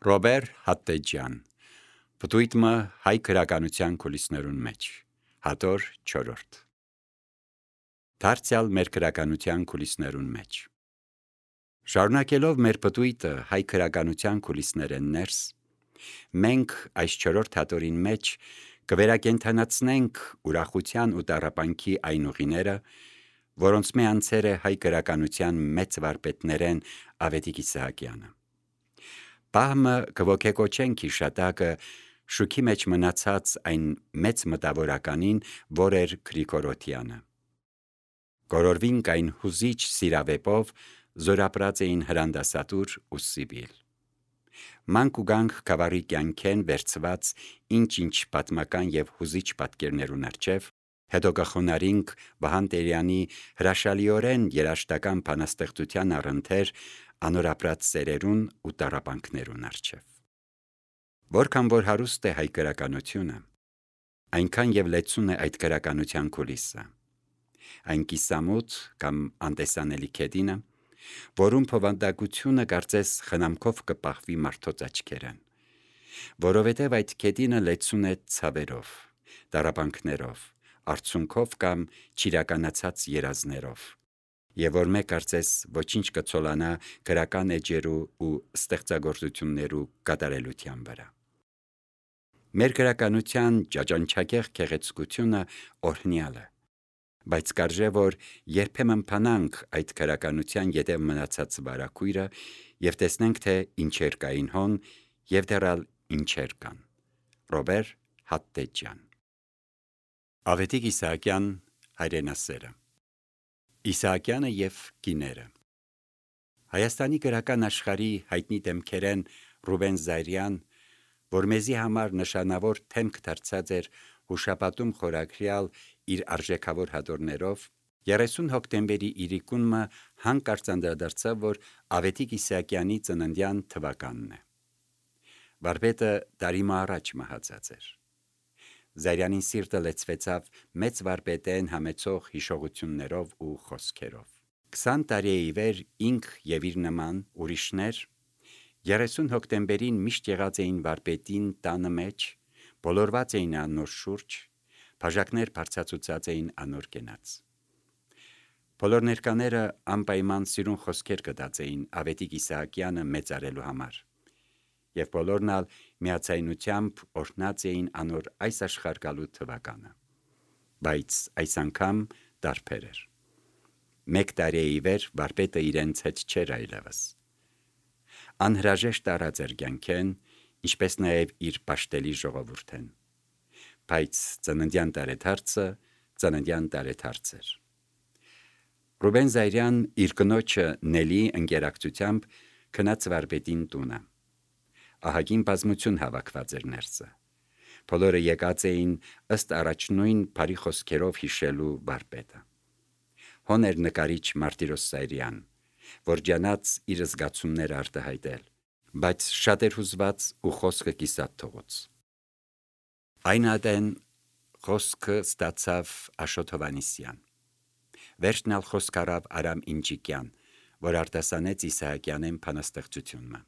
Ռոբեր Հատտեջյան, Պտույտմը հայ գրականության կուլիսներուն մեջ, հատոր 4. Դարձյալ մեր գրականության կուլիսներուն մեջ։ Շարունակելով մեր պտույտը հայ գրականության կուլիսներեն ներս, մենք այս 4 հատորին մեջ կվերակենդանացնենք ուրախության ու տառապանքի այն ուղիները, որոնց մե անցեր է հայ գրականության մեծ վարպետներեն Ավետիք Իսահակյանը։ Պահմը կոգեկոչենք հիշատակը շուքի մեջ մնացած այն մեծ մտավորականին, որ էր Գրիգոր Օթյանը։ Գորորվինք այն հուզիչ սիրավեպով զորապրած էին հրանդասատուր ու Սիբիլ։ Մանք ու գանք գավառի կյանքեն վերցված ինչ պատմական և հուզիչ պատկերներուն առջև, հետո կխոնարհինք Վահան Տերյանի հրաշալիորեն երաժշտական բանաստեղծության առընթեր անորապրած սերերուն ու տառապանքներուն առջև։ Որքան որ հարուստ է հայ գրականությունը, այնքան եւ լեցուն է այդ գրականության կուլիսը, այն կիսամութ կամ անտեսանելի քեդինը, որում փոխանցությունը կարծես խնամքով կպահվի մարդոց աչքերեն, որովհետև այդ քեդինը լեցուն է ցավերով, տառապանքներով, արցունքով կամ չիրականացած երազներով, եւ որ մեկ կարծես ոչինչ կցոլանա գրական էջերու ու ստեղծագործություններու կատարելության վրա։ Մեր գրականության ճաճանչակեղ գեղեցկությունը օրհնյալ է, բայց կարժե որ երբեմն փանանք այդ գրականության ետև մնացած վարակույրը եւ տեսնենք թե ինչեր կային հոն եւ դեռալ ինչեր կան։ Ռոբեր Հատտեջյան։ Ավետիք Իսահակյան հայրենասերը։ Իսահակյանը եւ կիները։ Հայաստանի գրական աշխարհի հայտնի դեմքերեն Ռուբեն Զայրյան, որ մեզի համար նշանավոր թեմք դարձած էր հուշապատում խորագրյալ իր արժեքավոր հատորներով, 30 հոկտեմբերի իրիկունը հանկարծ անդրադարձավ, որ Ավետիք Իսահակյանի ծննդյան թվականն է։ Վարպետը տարի առաջ մահացած էր։ Զայրյանին սիրտը լեցվեցավ մեծ վարպետեն համեցող հիշողություններով ու խոսքերով։ 20 տարի ի վեր ինք եւ իր նման ուրիշներ 30 հոկտեմբերին միշտ եղած էին վարպետին տանը մեջ, բոլորված էին անոր շուրջ, բաժակներ բարձրացուցած էին անոր կենաց։ Բոլոր ներկաները անպայման սիրուն խոսքեր կդած էին Ավետիք Իսահակյանը մեծարելու համար, եւ բոլորն ալ միացայնությամբ օրհնած էին անոր այս աշխարհ գալու թվականը։ Բայց այս անգամ տարբեր էր։ 1 տարի ի վեր վարպետը իրենց հետ չէր այլևս։ Անհրաժեշտ առած էր կյանքեն, ինչպես նաև իր պաշտելի ժողովուրդեն։ Բայց ծննդյան տարեդարձ էր։ Ռուբեն Զայրյան իր կնոջը Նելի ընկերակցությամբ քնած վարպետին տունը։ Ահագին բազմություն հավաքված էր ներսը։ Բոլորը եկած էին ըստ առաջնույն բարի խոսքերով հիշելու վարպետը։ Հոներ նկարիչ Մարտիրոս Զայրյան, որ ջանաց իր զգացումները արտահայտել, բայց շատ էր հուզված ու խոսքը կիսատ թողոց։ Այն ադեն խոսքը ստացավ Աշոտ Հովհաննիսյան։ Վերջն ալ խոսք առավ Արամ Ինջիկյան, որ արտասանեց Իսահակյանեն բանաստեղծությունը։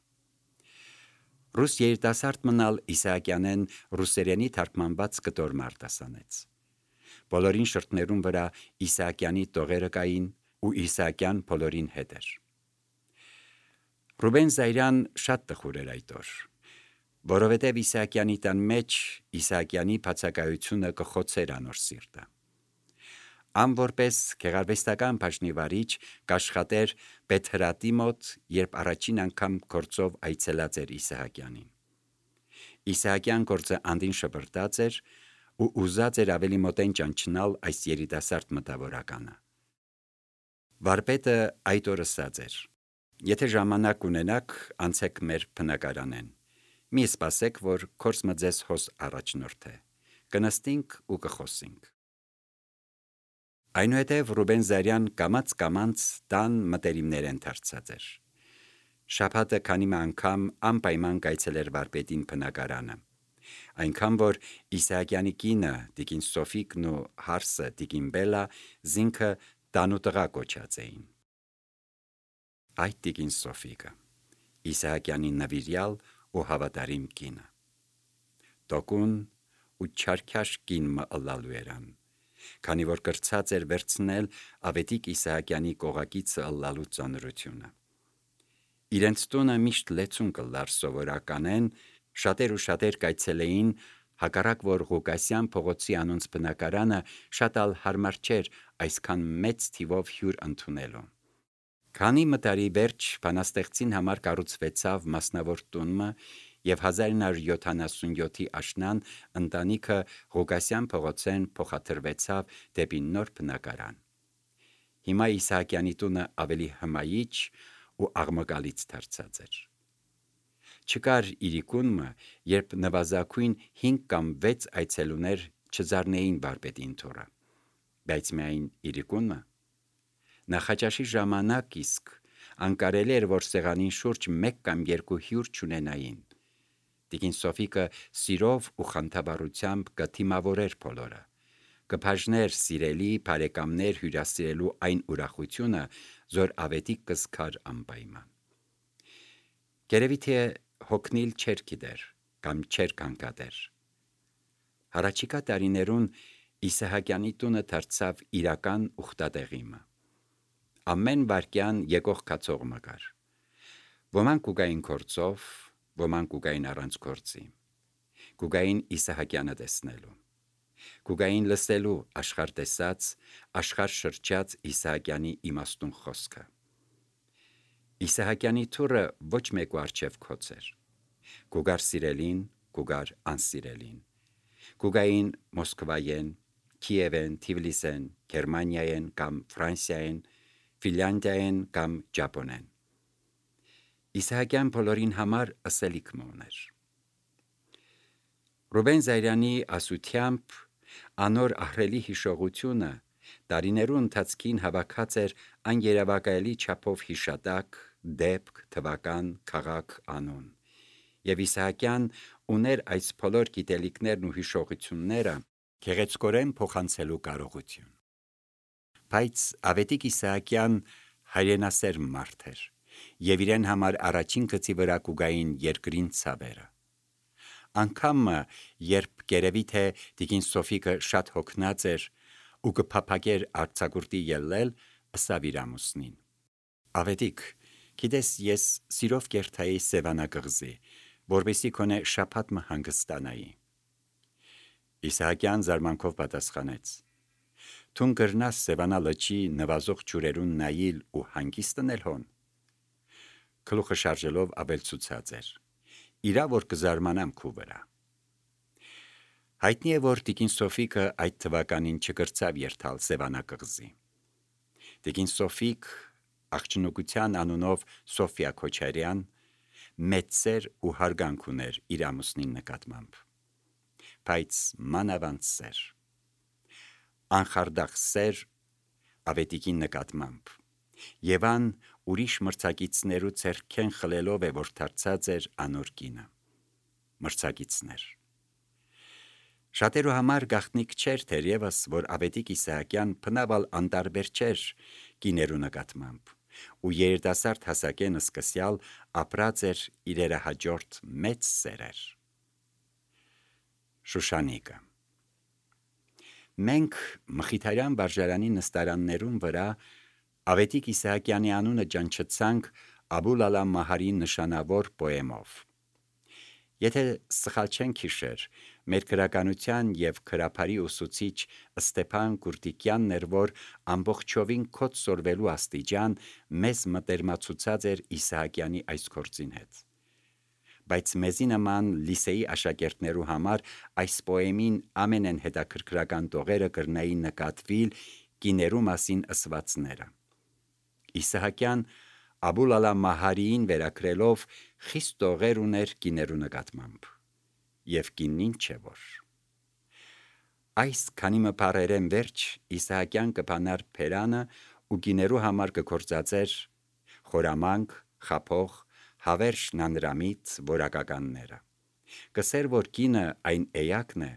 Ռուս երիտասարդ մնալ Իսահակյանեն ռուսերենի թարգմանված կտոր արտասանեց։ Բոլորին շրթներուն վրա Իսահակյանի տողերը կային ու Իսահակյան բոլորին հետ էր։ Ռուբեն Զայրյան շատ տխուր էր այդ օր, որովհետև Իսահակյանի տան մեջ Իսահակյանի բացակայությունը կխոցեր անոր սիրտը։ Ան որպես գեղարվեստական բաժնի վարիչ կաշխատեր Պետհրատի մոտ, երբ առաջին անգամ գործով այցելած էր Իսահակյանին։ Իսահակյան գործը անդին շպրտած էր ու ուզած էր ավելի մոտեն ճանչնալ այս երիտասարդ մտավորականը։ Վարպետը այդ օր ասած էր. «Եթե ժամանակ ունենաք, անցեք մեր բնակարանեն։ Մի սպասեք, որ քորսմը ձեզ հոս առաջնորդե։ Կնստինք ու կխոսինք»։ Այնուհետև Ռուբեն Զայրյան կամաց տան մտերիմներեն դարձած էր։ Շաբաթը քանի անգամ անպայման կայցելեր վարպետին բնակարանը, այնքան որ Իսահակյանի կինը տիկին Սոֆիկն ու հարսը տիկին Բելլա զինքը տանուտղա կոչած էին։ Այդ տիկին Սոֆիկը Իսահակյանի նվիրյալ ու հավատարիմ կինը։ Տոկուն ու չարքաշ կին մը ըլլալու երան, քանի որ կրծած էր վերցնել Ավետիք Իսահակյանի կողակիցը ըլլալու ծանրությունը։ Իրենց տունը միշտ լեցուն կլար սովորականեն, շատեր կայցելեին, հակառակ որ Ղուկասյան փողոցի անոնց բնակարանը շատ ալ հարմար չէր այսքան մեծ թիվով հյուր ընդունելու։ Քանի մտարի վերջ բանաստեղծին համար կառուցվեցավ մասնավոր տունը և 1977-ի աշնան ընտանիքը Ղուկասյան փողոցեն փոխադրվեցավ դեպի նոր բնակարան։ Հիմա Իսահակյանի տունը ավելի հմայիչ ու աղմկալից դարձած էր։ Չկար իրիկունը, երբ նվազագույն 5 կամ 6 այցելուներ չզարնեին վարպետին թորը, բայց միայն իրիկունը։ Նախաճաշի ժամանակ իսկ անկարելի էր, որ սեղանին շուրջ 1 կամ 2 հյուր չունենային։ Տիկին Սոֆիկը սիրով ու խանդավառությամբ կթիմավորեր բոլորը, կբաժներ սիրելի բարեկամներ հյուրասիրելու այն ուրախությունը, որ Ավետիք կզքար անպայման։ Գերևի թե հոգնիլ չէր գիտեր կամ չէր կանգադեր։ Հարաճիկա տարիներուն Իսահակյանի տունը դարձավ իրական ուխտատեղիմը։ Ամեն վարկյան եկող կացող մգար։ Ոմանք կուգային գործով, ոմանք կուգային առանց գործի։ Կուգային Իսահակյանը տեսնելու։ Կուգային լսելու աշխարհ տեսած, աշխարհ շրջած Իսահակյանի իմաստուն խոսքը։ Իսահակյանի թուրը ոչ մեկու առջև քոց էր։ Կուգար սիրելին, կուգար անսիրելին։ Կուգային Մոսկվայեն, Քիևեն, Թիվլիսեն, Գերմանիայեն կամ Ֆրանսիայեն, Ֆինլանդիայեն կամ Ճապոնեն։ Իսահակյան բոլորին համար ըսելիք մոներ։ Ռուբեն Զայրյանի ասությամբ անոր ահռելի հիշողությունը տարիներու ընթացքին հավաքած էր այն երևակայելի չափով հիշատակ, դեպք, թվական, քաղաք, անուն։ Եվ Իսահակյան ուներ այս բոլոր գիտելիքներն ու հիշողությունները գեղեցկորեն փոխանցելու կարողություն։ Բայց Ավետիք Իսահակյան հայրենասեր մարդ էր, և իրեն համար առաջին գծի վրա կուգային երկրին ցավերը։ Անգամը, երբ գերևի թե տիկին Սոֆիկը շատ հոգնած էր ու կփափագեր արձակուրդի ելնել, ըսավ իր ամուսնին. Ավետիք, գիտես, ես սիրով կերթայի Սևանա կղզի, որպեսզի քոնե շաբաթ մը հանգստանայի։ Իսահակյան զարմանքով պատասխանեց. Թուն կրնաս Սևանա լճի նվազող ջուրերուն նայիլ ու հանգիստնել հոն։ Գլուխը շարժելով ավելցուցած էր. Իրա որ կզարմանամ քու վրա։ Հայտնի է, որ տիկին Սոֆիկը այդ թվականին չկրծավ երթալ Սևանա կղզի։ Տիկին Սոֆիկ, աղջնուկության անունով Սոֆիա Քոչարյան, մեծ սեր ու հարգանք ուներ իր ամուսնին նկատմամբ, բայց մանավանդ սեր, անխարդախ սեր Ավետիքին նկատմամբ, եւ ան ուրիշ մրցակիցներու ձեռքեն խլելով է, որ դարձած էր անոր կինը։ Մրցակիցներ։ Շատերու համար գաղտնիք չէր թերևս, որ Ավետիք Իսահակյան բնավալ անտարբեր չէր կիներու նկատմամբ, ու երիտասարդ հասակեն սկսյալ ապրած էր իրերը հաջորդ մեծ սերեր։ Շուշանիկը։ Մենք Մխիթարյան վարժարանի նստարաններուն վրա Ավետիք Իսահակյանի անունը ճանչեցանք Աբուլ Ալա Մահարի նշանավոր պոեմով։ Եթե սխալ չենք հիշեր, մեր գրականության և գրաբարի ուսուցիչ Ստեփան Կուրտիկյանն էր, որ ամբողջովին քոց սորվելու աստիճան մեզ մտերմացուցած էր Իսահակյանի այս գործին հետ։ Բայց մեզի նման լիսեի աշակերտներու համար այս պոեմին ամենեն հետաքրքրական տողերը կրնային նկատվիլ կիներու մասին ըսվածները։ Իսահակյան Աբուլ Ալա Մահարիին վերագրելով խիստ տողեր ուներ կիներու նկատմամբ, և կինին չէ որ։ Այս քանի մը բառերեն վերջ Իսահակյան կփանար փերանը ու կիներու համար կգործածեր խորամանկ, խափող, հավերժ նանրամիտ որակականները։ Կսեր, որ կինը այն էակն է,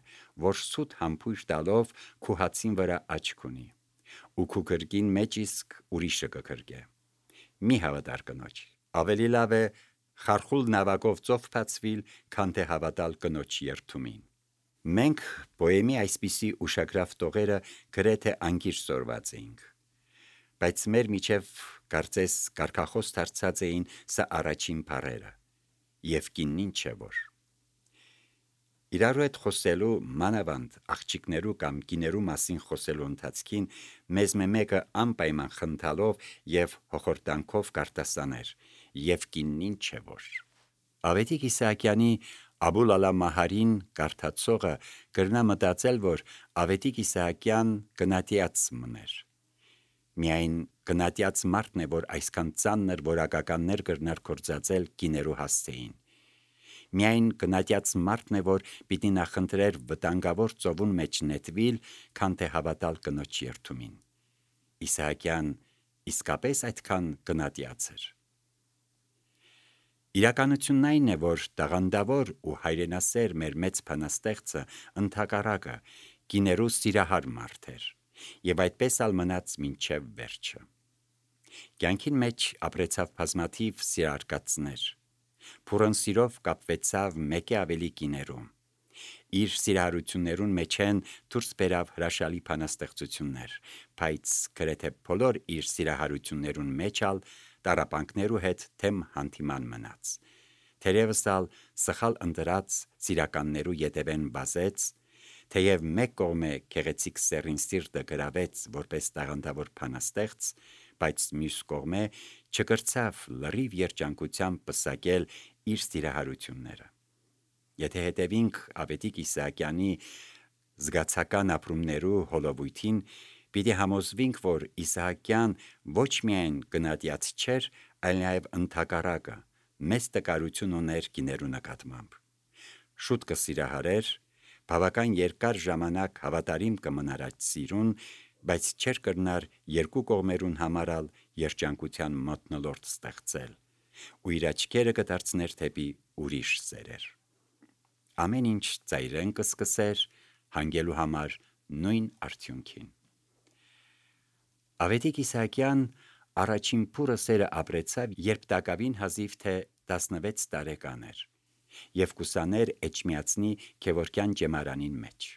որ սուտ համբույր տալով քու հացին վրա աչք ունի, ու քու գրկին մեջ իսկ ուրիշը կգրկե։ Մի հավատար կնոջ, ավելի լավ է խարխուլ նավակով ծով բացվիլ, քան թե հավատալ կնոջ երթումին։ Մենք պոեմի այսպիսի ուշագրավ տողերը գրեթե անգիր սորված էինք, բայց մեր միջև կարծես կարգախոս դարձած էին սա առաջին բառերը, և կիննին չէ որ։ Իրարու հետ խոսելու, մանավանդ աղջիկներու կամ կիներու մասին խոսելու ընթացքին մեզ մեկը անպայման խնդալով և հոխորտանքով կարտասաներ, և կիննին չէ որ։ Ավետիք Իսահակյանի Աբուլ Ալա Մահարին կարդացողը կրնա մտածել, որ Ավետիք Իսահակյան գնատյաց մներ։ Միայն գնատյաց մարդն է, որ այսքան ծանր որակականներ կրնար գործածել կիներու հասցեին։ Միայն գնատյաց մարդն է, որ պիտի նախընտրեր վտանգավոր ծովուն մեջ նետվիլ, քան թե հավատալ կնոջ երթումին։ Իսահակյան իսկապես այդքան գնատյաց էր։ Իրականությունն այն է, որ տաղանդավոր ու հայրենասեր մեր մեծ բանաստեղծը ընդհակառակը կիներու սիրահար մարդ էր, և այդպես ալ մնաց մինչև վերջը։ Կյանքին մեջ ապրեցավ բազմաթիվ սիրարկածներ, փուրն սիրով կապվեցավ մեկի ավելի կիներու։ Իր սիրահարություններուն մեջ են դուրս բերավ հրաշալի բանաստեղծություններ, բայց գրեթե բոլոր իր սիրահարություններուն մեջ ալ տառապանքներու հետ թեմ հանդիման մնաց։ Թերևս ալ սխալ ընտրած սիրականներու ետևեն բազեց, թեև մեկ կողմե գեղեցիկ սեռին սիրտը գրավեց որպես տաղանդավոր բանաստեղծ, բայց մյուս կողմե չկրցավ լրիվ երջանկությամբ պսակել իր սիրահարությունները։ Եթե հետևինք Ավետիք Իսահակյանի զգացական ապրումներու հոլովույթին, պիտի համոզվինք, որ Իսահակյան ոչ միայն գնատյաց չէր, այլ նաև ընդհակառակը մեծ տկարություն ուներ կիներու նկատմամբ։ Շուտ կսիրահարեր, բավական երկար ժամանակ հավատարիմ կմնար այդ սիրուն, բայց չէր կրնար երկու կողմերուն համարալ երջանկության մթնոլորտ ստեղծել, ու իր աչքերը կդարձներ թեպի ուրիշ սերեր։ Ամեն ինչ ծայրեն կսկսեր հանգելու համար նույն արդյունքին։ Ավետիք Իսահակյան առաջին փուրը սերը ապրեցավ, երբ տակավին հազիվ թե 16 տարեկան էր, և կուսաներ Էջմիածնի Գևորգյան ջեմարանին մեջ։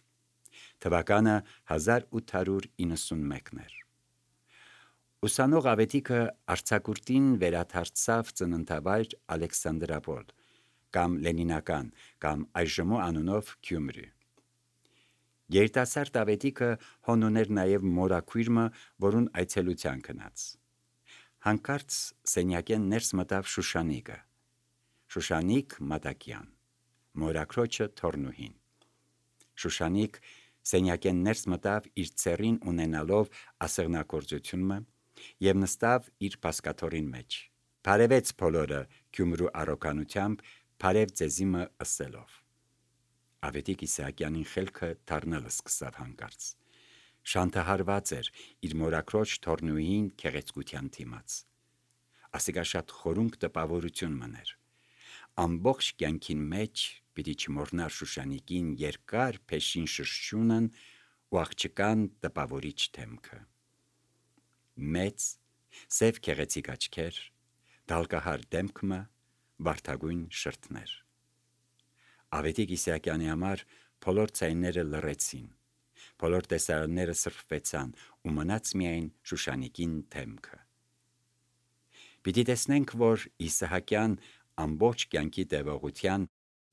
Թվականը 1891 էր։ Ուսանող Ավետիքը արձակուրդին վերադարձավ ծննդավայր Ալեքսանդրապոլ, կամ Լենինական, կամ այժմու անունով Գյումրի։ Երիտասարդ Ավետիքը հոն ուներ նաև մորաքույրը, որուն այցելության գնաց։ Հանկարծ սենյակեն ներս մտավ Շուշանիկը, Շուշանիկ Մատակյան, մորաքրոջը թորնուհին։ Շուշանիկ սենյակեն ներս մտավ իր ծերին ունենալով ասեղնագործությունը և նստավ իր բազկաթոռին մեջ, բարևեց բոլորը Գյումրու առօգանությամբ, բարև ձեզիմը ըսելով։ Ավետիք Իսահակյանին խելքը դառնալը սկսավ հանկարծ։ Շանթահարված էր իր մորաքրոջ թորնուհին գեղեցկության դիմաց։ Ասիկա շատ խորունկ տպավորություն մներ։ Ամբողջ կյանքին մեջ պիտի չմոռնար Շուշանիկին երկար փեշին շրշյունն ու աղջկան տպավորիչ դեմքը։ Մեծ, սև գեղեցիկ աչքեր, դալկահար դեմքը, վարդագույն շրթներ։ Ավետիք Իսահակյանի համար բոլոր ձայները լռեցին, բոլոր տեսարանները սրբվեցան ու մնաց միայն Շուշանիկին դեմքը։ Պիտի տեսնենք, որ Իսահակյան ամբողջ կյանքի տևողության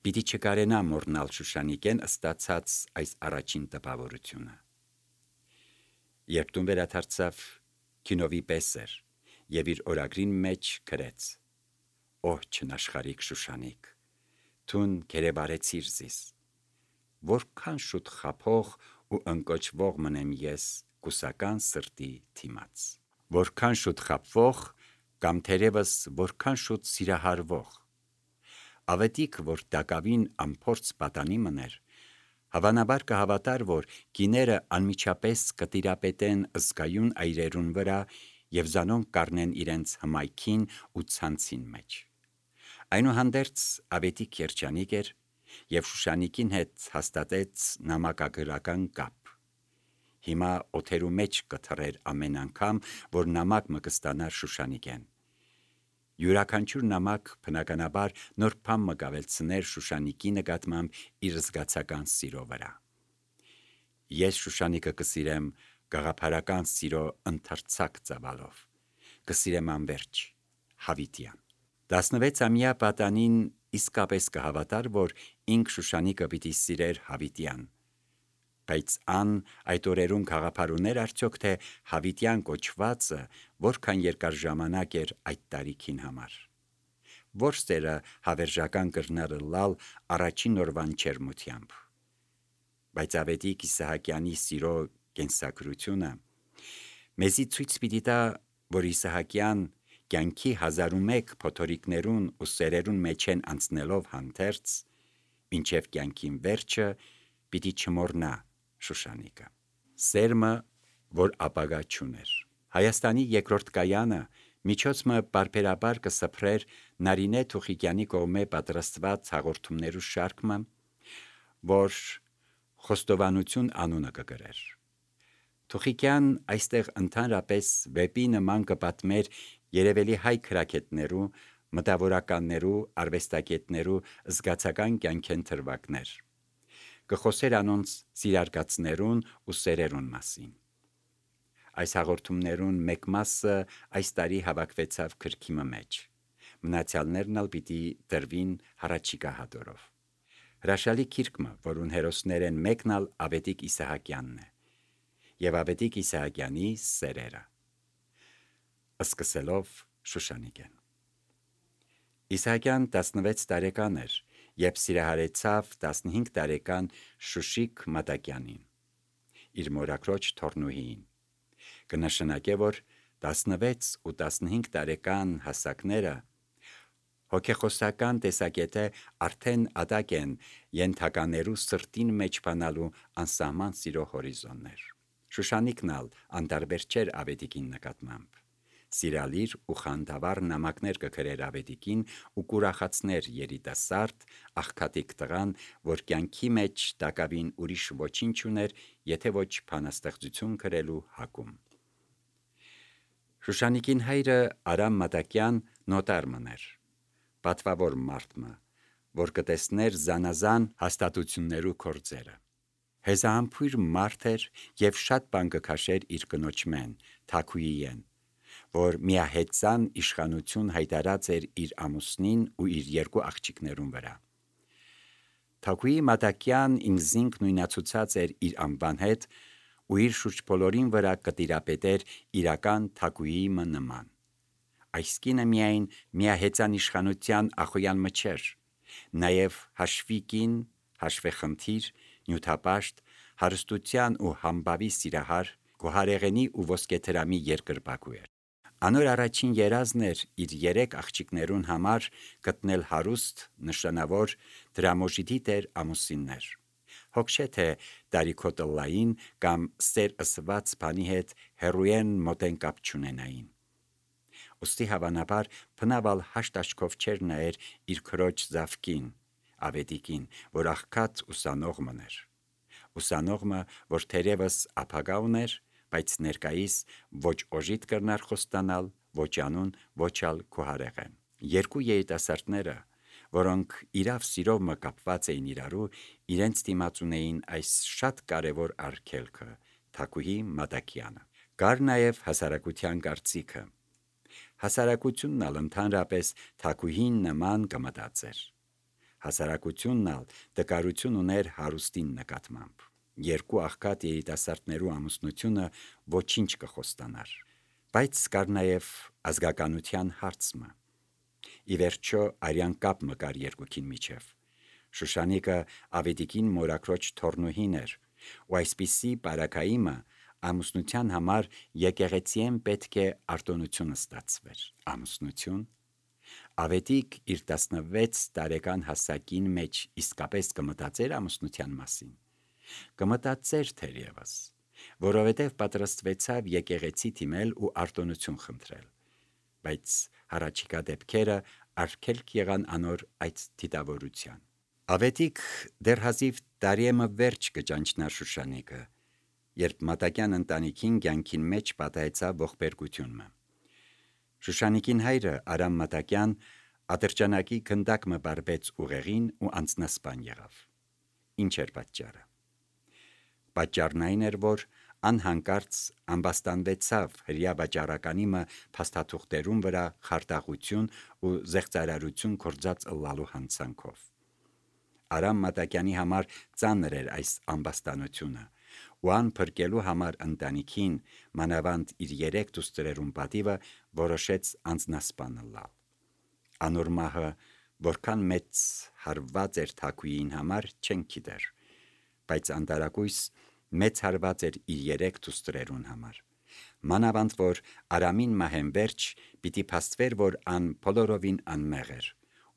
պիտի չկարենա մոռնալ Շուշանիկեն ստացած այս առաջին տպավորությունը։ Երբ տուն վերադարձավ, քինովի պես էր և իր օրագրին մեջ գրեց. «Օ չնաշխարհիկ Շուշանիկ, թուն գերեբարեցիր զիս, որքան շուտ խաբող ու ընկճվող մնեմ ես կուսական սրտի դիմաց, որքան շուտ խաբվող կամ թերևս որքան շուտ սիրահարվող»։ Ավետիք, որ տակավին անփորձ պատանի մներ, հավանաբար կհավատար, որ կիները անմիջապես կտիրապետեն զգայուն այրերուն վրա և զանոնք կառնեն իրենց հմայքին ու ցանցին մեջ։ Այնուհանդերձ Ավետիք երջանիկ էր և Շուշանիկին հետ հաստատեց նամակագրական կապ։ Հիմա օթերու մեջ կթռեր ամեն անգամ, որ նամակ մը կստանար Շուշանիկեն։ յուրաքանչյուր նամակ բնականաբար նոր բան մգավելցներ Շուշանիկի նկատմամբ իր զգացական սիրո վրա։ Ես Շուշանիկը կսիրեմ գաղափարական սիրո ընթերցակ ծավալով, կսիրեմ անվերջ, հավիտյան։ 16-ամյա պատանին իսկապես կհավատար, որ ինք Շուշանիկը պիտի սիրեր հավիտյան, բայց այդ օրերուն գաղափար ուներ արդյոք, թե հավիտյան կոչվածը որքան երկար ժամանակ էր այդ տարիքին համար, որ սերը հավերժական կրնարը լալ առաջին օրվան չերմությամբ, բայց ավետիք Իսահակյանի սիրո կենսակրությունը մեզի ցույց պիտի տա, որ Իսահակյան կյանքի 1001 փոթորիկներուն ու սերերուն մեջ են անցնելով հանդերձ, մինչև կյանքին վերջը պիտի չմոռնա Շուշանիկը։ Սերմը, որ ապագա չուներ։ Հայաստանի երկրորդ կայանը միջոցը բարբերաբար կսփրեր Նարինե Թուխիկյանի կողմէ պատրաստված հաղորդումներու շարքը, որ Խոստովանություն անունը կգրեր։ Թուխիկյան այստեղ ընդհանրապես վեպի նման կպատմեր երևելի հայ քրակետներու, մտավորականներու, արվեստագետներու զգացական կյանքեն թրվակներ։ Կխոսեր անոնց սիրարգացներուն ու սերերուն մասին։ Այս հաղորդումներուն մեկ մասը այս տարի հավաքվեցավ գրքի մեջ։ Մնացյալներն ալ պիտի տրվին հառաջիկա հատորով։ Հրաշալի գիրքը, որուն հերոսներեն մեկն ալ Ավետիք Իսահակյանն է, եւ Ավետիք Իսահակյանի սերերը։ Սկսելով Շուշանիկեն։ Իսահակյան 16 տարեկան էր, երբ սիրահարեցավ 15 տարեկան Շուշիկ Մատակյանին, իր մորաքրոջ թորնուհին։ Կնշանակե, որ 16 ու 15 տարեկան հասակները հոգեխոսական տեսակետը արդեն ադակ են ենթականերու սրտին մեջ բանալու անսահման սիրո հորիզոններ։ Շուշանիկն ալ անտարբեր չէր Ավետիքին նկատմամբ։ Սիրալիր ու խանդավառ նամակներ կգրեր Ավետիքին ու կուրախացներ երիտասարդ աղքատիկ տղան, որ կյանքի մեջ տակավին ուրիշ ոչինչ ուներ, եթե ոչ բանաստեղծություն գրելու հակում։ Շուշանիկին հայրը Արամ Մատակյան նոտար մներ, պատվավոր մարդը, որ կտեսներ զանազան հաստատություններու կորձերը։ Հեզահամբույր մարդ էր և շատ բան կքաշեր իր կնոջմեն, Թաքուիեն, որ միահեծան իշխանություն հայտարած էր իր ամուսնին ու իր երկու աղջիկներուն վրա։ Թաքուի Մատակյան ինքզինք նույնացուցած էր իր անվան հետ ու իր շուրջ բոլորին վրա կտիրապետեր իրական Թաքուիի նման։ Այս կինը միայն միահեծան իշխանության ախոյան մչեր, նաև հաշվիկին, հաշվեխնդիր, նյութապաշտ, հարստության ու համբավի սիրահար, գոհարեղենի ու ոսկեթրամի երկրպագու էր։ Անոր առաջին երազն էր իր 3 աղջիկներուն համար գտնել հարուստ, նշանավոր, դրամոժիտի տեր ամուսիններ։ Հոգ չէ թե դարիքոտլային կամ սեր ըսված բանի հետ հերույեն մոտեն կապ չունենային։ Ոստի հավանաբար բնավալ հաշտ աչքով չեր նայեր իր քրոջ զավկին, Ավետիքին, որ աղքատ ուսանող մներ։ Ուսանողը, որ թերևս ապագա ուներ, բայց ներկայիս ոչ օժիտ կրնար խոստանալ, ոչ անուն, ոչ ալ գոհարեղեն։ Երկու երիտասարդները, որոնք իրավ սիրով կապված էին իրարու, իրենց դիմաց ունեին այս շատ կարևոր արգելքը՝ Թաքուի Մատակյանը։ Կար նաև հասարակության կարծիքը։ Հասարակությունն ալ ընդհանրապես Թաքուին նման կմտածեր։ Հասարակությունն ալ տկարություն ուներ հարուստին նկատմամբ։ Երկու աղքատ երիտասարդներու ամուսնությունը ոչինչ կխոստանար։ Բայց կար նաև ազգականության հարցը։ Ի վերջո արյան կապ կար երկուքին միջև։ Շուշանիկը Ավետիքին մորաքրոջ թորնուհին էր, ու այսպիսի բարակայիմը ամուսնության համար եկեղեցիեն պետք է արտոնություն ստացվեր։ Ամուսնություն։ Ավետիք իր 16 տարեկան հասակին մեջ իսկապես կմտածեր ամուսնության մասին։ Կմտածեր թերևս, որովհետև պատրաստվեցավ եկեղեցի թիմել ու արտոնություն խնդրել, բայց հառաջիկա դեպքերը արգելք եղան անոր այդ դիտավորության։ Ավետիք դեռ հազիվ տարիեմը վերջ կճանչնար Շուշանիկը, երբ Մատակյան ընտանիքին կյանքին մեջ պատահեցավ ողբերգությունը։ Շուշանիկին հայրը Արամ Մատակյան ատրճանակի գնդակ մը բարբեց ուղեղին ու անձնասպան եղավ։ Ինչ էր պատճառը։ Պատճառն այն էր, որ անհանկարծ ամբաստանվեցավ հրյա վաճառականի մը փաստաթուղթերուն վրա խարտախություն ու զեղծարարություն կործած ըլլալու հանցանքով։ Արամ Մատակյանի համար ծանր էր այս ամբաստանությունը, ու ան փրկելու համար ընտանիքին, մանավանդ իր 3 դուստրերուն պատիվը որոշեց անձնասպան ըլլալ։ Անոր մահը որքան մեծ հարված էր թակուին համար չեն գիտեր, բայց անտարակույս մեծ հարված էր իր 3 դուստրերուն համար։ Մանավանդ որ Արամին մահեն վերջ պիտի փաստվեր, որ ան բոլորովին անմեղ էր,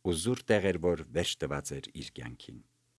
ու զուր տեղ էր, որ վերջ տված էր իր կյանքին։